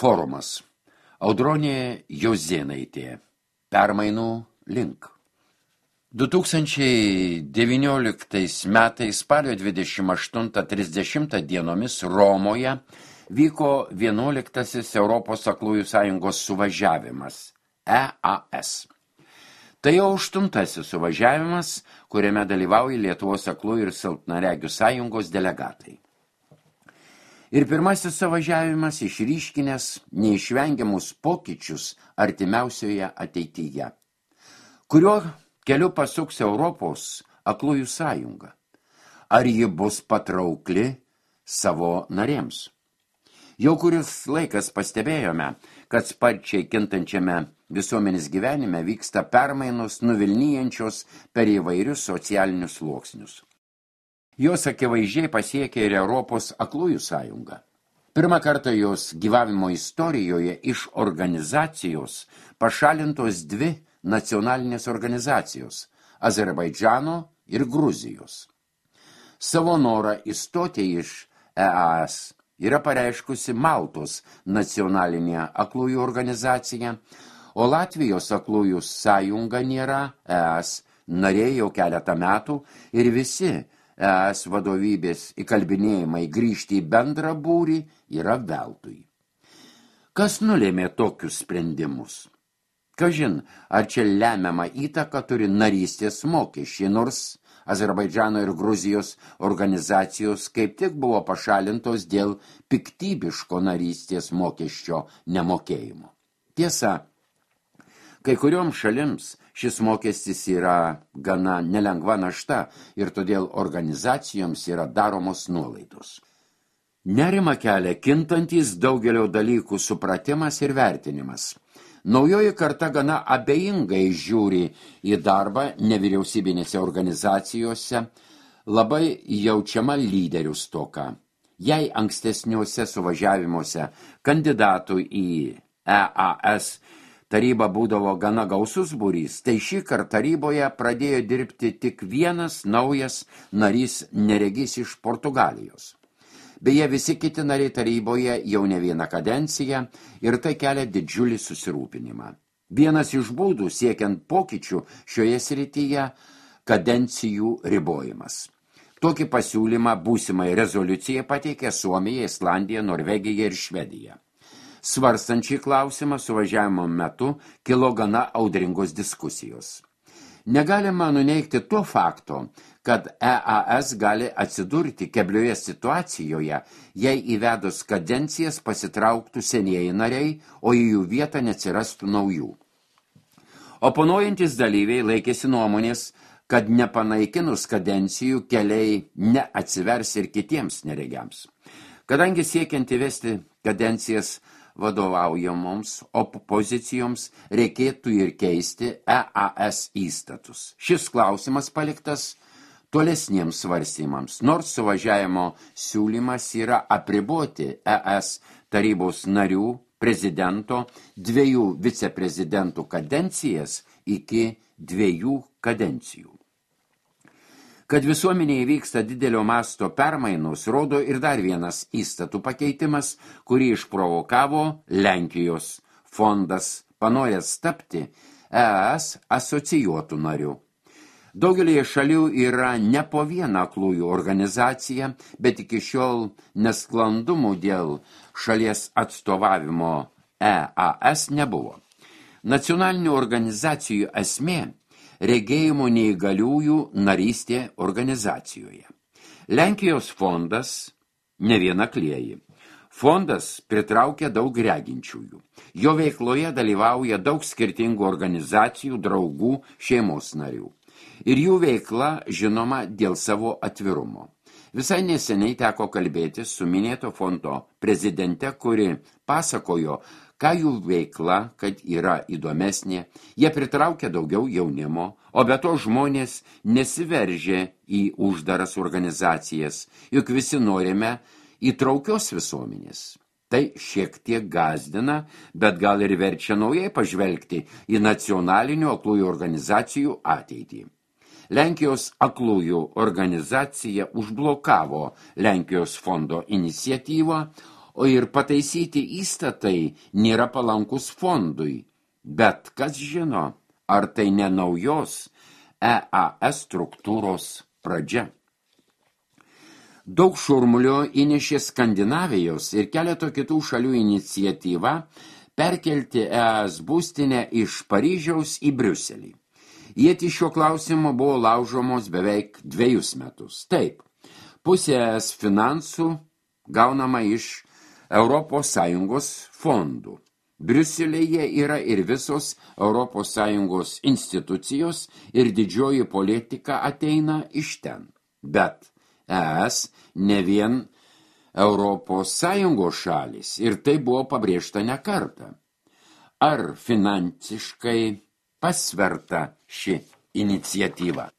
Forumas. Audronė Jozėnaitė. Permainų link. 2019 metais spalio 28-30 dienomis Romoje vyko 11 Europos aklųjų sąjungos suvažiavimas EAS. Tai jau 8 suvažiavimas, kuriame dalyvauja Lietuvos aklųjų ir silpnaregių sąjungos delegatai. Ir pirmasis suvažiavimas išryškinęs neišvengiamus pokyčius artimiausioje ateityje, kurio keliu pasuks Europos aklųjų sąjunga. Ar ji bus patraukli savo narėms? Jau kuris laikas pastebėjome, kad sparčiai kintančiame visuomenės gyvenime vyksta permainos nuvilnijančios per įvairius socialinius sluoksnius. Jos akivaizdžiai pasiekė ir Europos aklųjų sąjungą. Pirmą kartą jos gyvavimo istorijoje iš organizacijos pašalintos dvi nacionalinės organizacijos – Azerbaidžano ir Gruzijos. Savo norą įstoti iš EAS yra pareiškusi Maltos nacionalinė aklųjų organizacija, o Latvijos aklųjų sąjunga nėra EAS narė jau keletą metų ir visi EAS vadovybės įkalbinėjimai grįžti į bendrą būrį yra veltui. Kas nulėmė tokius sprendimus? Kažin, ar čia lemiamą įtaką turi narystės mokesčiai, nors Azerbaidžano ir Gruzijos organizacijos kaip tik buvo pašalintos dėl piktybiško narystės mokesčio nemokėjimo. Tiesa, kai kurioms šalims šis mokestis yra gana nelengva našta ir todėl organizacijoms yra daromos nuolaidos. Nerimą kelia kintantis daugelio dalykų supratimas ir vertinimas. Naujoji karta gana abejingai žiūri į darbą nevyriausybinėse organizacijose, labai jaučiama lyderių stoka. Jei ankstesniuose suvažiavimuose kandidatų į EAS taryba būdavo gana gausus būrys, tai šį kartą taryboje pradėjo dirbti tik vienas naujas narys neregys iš Portugalijos. Beje, visi kiti nariai taryboje jau ne vieną kadenciją ir tai kelia didžiulį susirūpinimą. Vienas iš būdų siekiant pokyčių šioje srityje – kadencijų ribojimas. Tokį pasiūlymą būsimai rezoliucijai pateikė Suomija, Islandija, Norvegija ir Švedija. Svarstant šį klausimą suvažiavimo metu kilo gana audringos diskusijos. Negalima nuneigti to fakto, kad EAS gali atsidurti keblioje situacijoje, jei įvedus kadencijas pasitrauktų senieji nariai, o į jų vietą neatsirastų naujų. Oponuojantis dalyviai laikėsi nuomonės, kad nepanaikinus kadencijų keliai neatsivers ir kitiems neregiams. Kadangi siekiant įvesti kadencijas vadovaujamoms opozicijoms reikėtų ir keisti EAS įstatus. Šis klausimas paliktas tolesniems svarstymams, nors suvažiavimo siūlymas yra apriboti ES tarybos narių, prezidento, 2 viceprezidentų kadencijas iki 2 kadencijų. Kad visuomenėje vyksta didelio masto permainos, rodo ir dar vienas įstatų pakeitimas, kurį išprovokavo Lenkijos fondas, panoręs tapti ES asocijuotų narių. Daugelėje šalių yra ne po vieną aklųjų organizaciją, bet iki šiol nesklandumų dėl šalies atstovavimo EAS nebuvo. Nacionalinių organizacijų esmė – regėjimo neįgaliųjų narystė organizacijoje. Lenkijos fondas ne vienaklieji. Fondas pritraukia daug reginčiųjų. Jo veikloje dalyvauja daug skirtingų organizacijų, draugų, šeimos narių. Ir jų veikla žinoma dėl savo atvirumo. Visai neseniai teko kalbėti su minėto fondo prezidente, kuri pasakojo, ką jų veikla, kad yra įdomesnė, jie pritraukia daugiau jaunimo, o be to žmonės nesiveržia į uždaras organizacijas, juk visi norime įtraukios visuomenės. Tai šiek tiek gąsdina, bet gal ir verčia naujai pažvelgti į nacionalinių aklųjų organizacijų ateitį. Lenkijos aklųjų organizacija užblokavo Lenkijos fondo iniciatyvą, o ir pataisyti įstatai nėra palankus fondui. Bet kas žino, ar tai ne naujos EAS struktūros pradžia. Daug šurmulio įnešė Skandinavijos ir keleto kitų šalių iniciatyva perkelti ES būstinę iš Paryžiaus į Briuselį. Ietis šiuo klausimu buvo laužomos beveik 2 metus. Taip, pusė ES finansų gaunama iš ES fondų. Briuselėje yra ir visos ES institucijos ir didžioji politika ateina iš ten. Bet ES ne vien ES šalis ir tai buvo pabrėžta ne kartą. Ar finansiškai pasverta ši iniciatyva?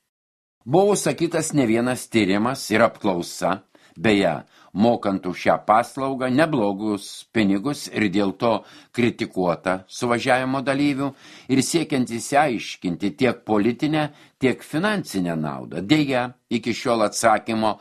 Buvo sakytas ne vienas tyrimas ir apklausa, beje, mokant už šią paslaugą neblogus pinigus ir dėl to kritikuota suvažiavimo dalyvių ir siekiant įsiaiškinti tiek politinę, tiek finansinę naudą. Deja, iki šiol atsakymo,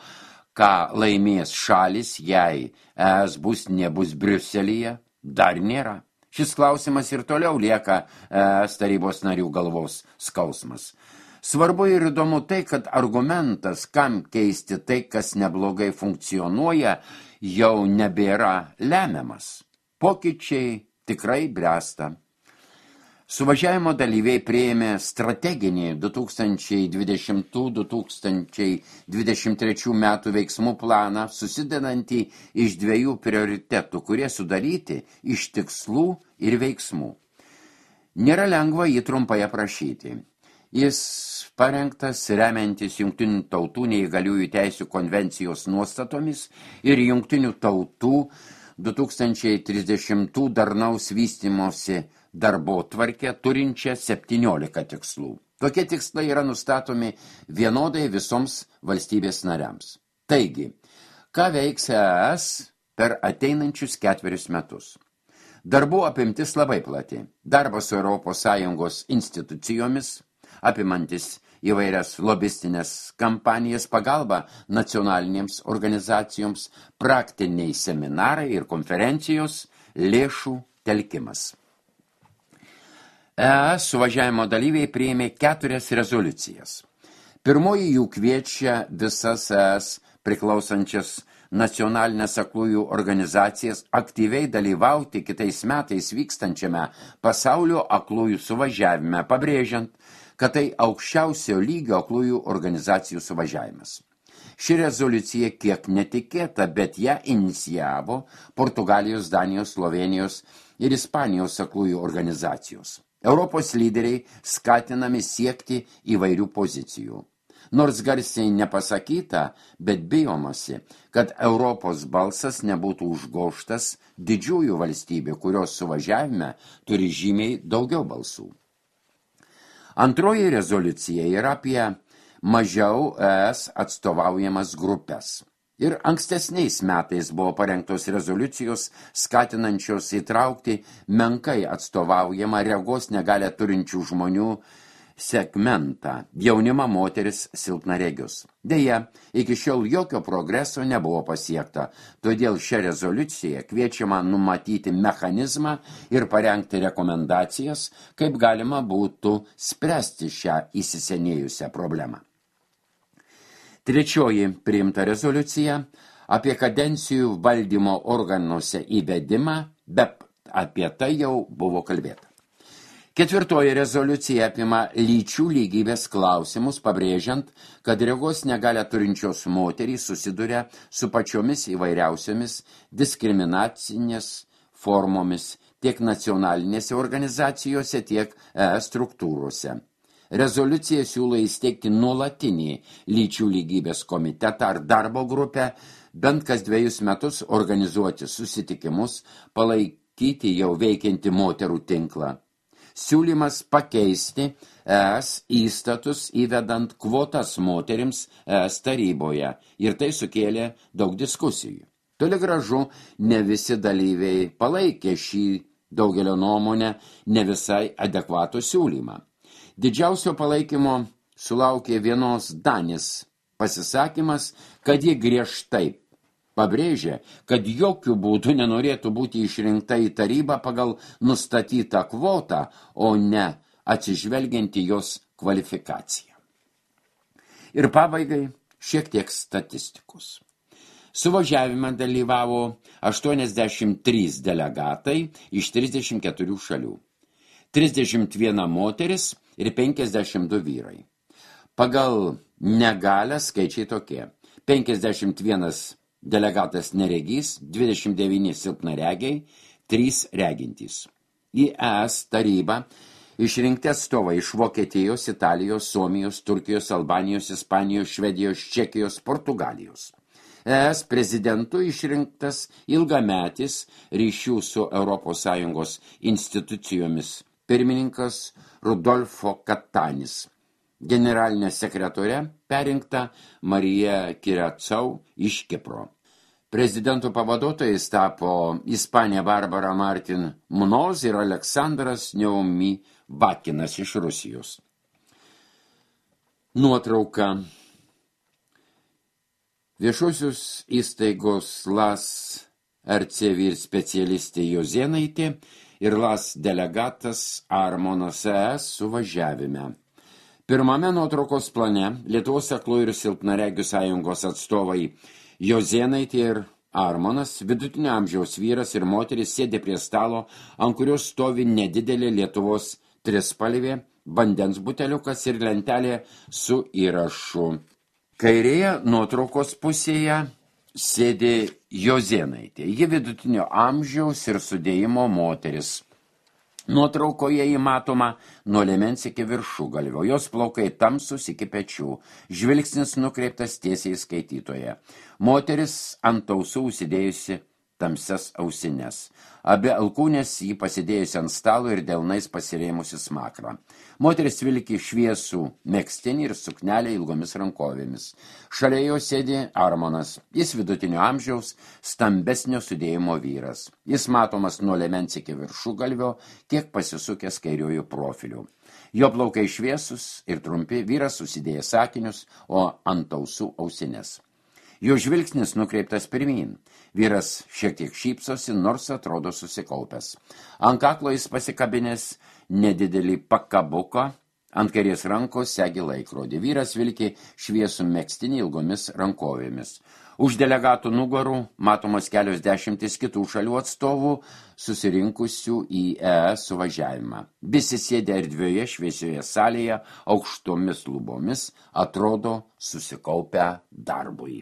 ką laimės šalis, jei ES būstinė bus Briuselyje, dar nėra. Šis klausimas ir toliau lieka ES tarybos narių galvos skausmas. Svarbu ir įdomu tai, kad argumentas, kam keisti tai, kas neblogai funkcionuoja, jau nebėra lemiamas. Pokyčiai tikrai bręsta. Suvažiavimo dalyviai priėmė strateginį 2020-2023 metų veiksmų planą, susidedantį iš 2 prioritetų, kurie sudaryti iš tikslų ir veiksmų. Nėra lengva jį trumpai aprašyti. Jis parengtas remiantis Jungtinių tautų neįgaliųjų teisių konvencijos nuostatomis ir Jungtinių tautų 2030 darnaus vystymosi darbotvarkę turinčią 17 tikslų. Tokie tikslai yra nustatomi vienodai visoms valstybės nariams. Taigi, ką veiks ES per ateinančius 4 metus? Darbų apimtis labai plati. Darbas su ES institucijomis, apimantis įvairias lobistinės kampanijas, pagalba nacionalinėms organizacijoms, praktiniai seminarai ir konferencijos, lėšų telkimas. ES suvažiavimo dalyviai priėmė 4 rezoliucijas. Pirmoji jų kviečia visas ES priklausančias nacionalinės aklųjų organizacijas aktyviai dalyvauti kitais metais vykstančiame pasaulio aklųjų suvažiavime, pabrėžiant, kad tai aukščiausio lygio aklųjų organizacijų suvažiavimas. Ši rezoliucija kiek netikėta, bet ją inicijavo Portugalijos, Danijos, Slovenijos ir Ispanijos aklųjų organizacijos. Europos lyderiai skatinami siekti įvairių pozicijų. Nors garsiai nepasakyta, bet bijomasi, kad Europos balsas nebūtų užgožtas didžiųjų valstybių, kurios suvažiavime turi žymiai daugiau balsų. Antroji rezoliucija yra apie mažiau ES atstovaujamas grupės. Ir ankstesniais metais buvo parengtos rezoliucijos skatinančios įtraukti menkai atstovaujamą regos negalią turinčių žmonių segmentą – jaunimą, moteris, silpnaregius. Deja, iki šiol jokio progreso nebuvo pasiekta, todėl šią rezoliuciją kviečiama numatyti mechanizmą ir parengti rekomendacijas, kaip galima būtų spręsti šią įsisenėjusią problemą. Trečioji priimta rezoliucija apie kadencijų valdymo organuose įvedimą, bet apie tai jau buvo kalbėta. Ketvirtoji rezoliucija apima lyčių lygybės klausimus, pabrėžiant, kad regos negalią turinčios moterys susiduria su pačiomis įvairiausiomis diskriminacinės formomis tiek nacionalinėse organizacijose, tiek struktūrose. Rezoliucija siūlo įsteigti nuolatinį lyčių lygybės komitetą ar darbo grupę, bent kas 2 metus organizuoti susitikimus, palaikyti jau veikiantį moterų tinklą. Siūlymas pakeisti ES įstatus įvedant kvotas moterims ES taryboje ir tai sukėlė daug diskusijų. Toli gražu, ne visi dalyviai palaikė šį daugelio nuomonę ne visai adekvatų siūlymą. Didžiausio palaikymo sulaukė vienos Danės pasisakymas, kad ji griežtai pabrėžė, kad jokių būdų nenorėtų būti išrinkta į tarybą pagal nustatytą kvotą, o ne atsižvelgiant į jos kvalifikaciją. Ir pabaigai šiek tiek statistikos. Suvažiavime dalyvavo 83 delegatai iš 34 šalių, 31 moteris ir 52 vyrai. Pagal negalią skaičiai tokie: 51 delegatas neregys, 29 silpnaregiai, 3 regintys. Į ES tarybą išrinkti atstovai iš Vokietijos, Italijos, Suomijos, Turkijos, Albanijos, Ispanijos, Švedijos, Čekijos, Portugalijos. ES prezidentu išrinktas ilgametis ryšių su ES institucijomis pirmininkas Rudolfo Katanis. Generalinė sekretorė perinkta Marija Kiracau iš Kipro. Prezidentų pavaduotojais tapo Ispanija Barbara Martin Munoz ir Aleksandras Neumi Bakinas iš Rusijos. Nuotrauka. Viešosios įstaigos LAS RC vyr specialistė Jozėnaitė ir LAS delegatas Armonas ES suvažiavime. Pirmame nuotraukos plane Lietuvos aklųjų ir silpnaregių sąjungos atstovai Jozėnaitė ir Armonas, vidutinio amžiaus vyras ir moteris, sėdė prie stalo, ant kurios stovi nedidelė Lietuvos trispalvė, vandens buteliukas ir lentelė su įrašu. Kairėje nuotraukos pusėje sėdė Jozėnaitė. Ji vidutinio amžiaus ir sudėjimo moteris. Nuotraukoje įmatoma nuo liemens iki viršugalvio. Jos plaukai tamsūs iki pečių. Žvilgsnis nukreiptas tiesiai skaitytoje. Moteris ant ausų užsidėjusi tamsias ausines. Abi alkūnės jį pasidėjusi ant stalo ir delnais pasirėmusi smakrą. Moteris vilki šviesų megztinį ir suknelę ilgomis rankovėmis. Šalia jo sėdi Armonas. Jis vidutinio amžiaus, stambesnio sudėjimo vyras. Jis matomas nuo liemens iki viršugalvio, kiek pasisukęs kairiųjų profilių. Jo plaukai šviesus ir trumpi, vyras susidėjęs sakinius, o ant ausų ausines. Jo žvilgsnis nukreiptas pirmyn. Vyras šiek tiek šypsosi, nors atrodo susikaupęs. Ant kaklo jis pasikabinęs nedidelį pakabuką, ant kairės rankos segi laikrodį. Vyras vilki šviesų megztinį ilgomis rankovėmis. Už delegatų nugarų matomos kelios dešimtis kitų šalių atstovų susirinkusių į ES suvažiavimą. Visi sėdė erdvioje šviesioje salėje, aukštomis lubomis, atrodo susikaupę darbui.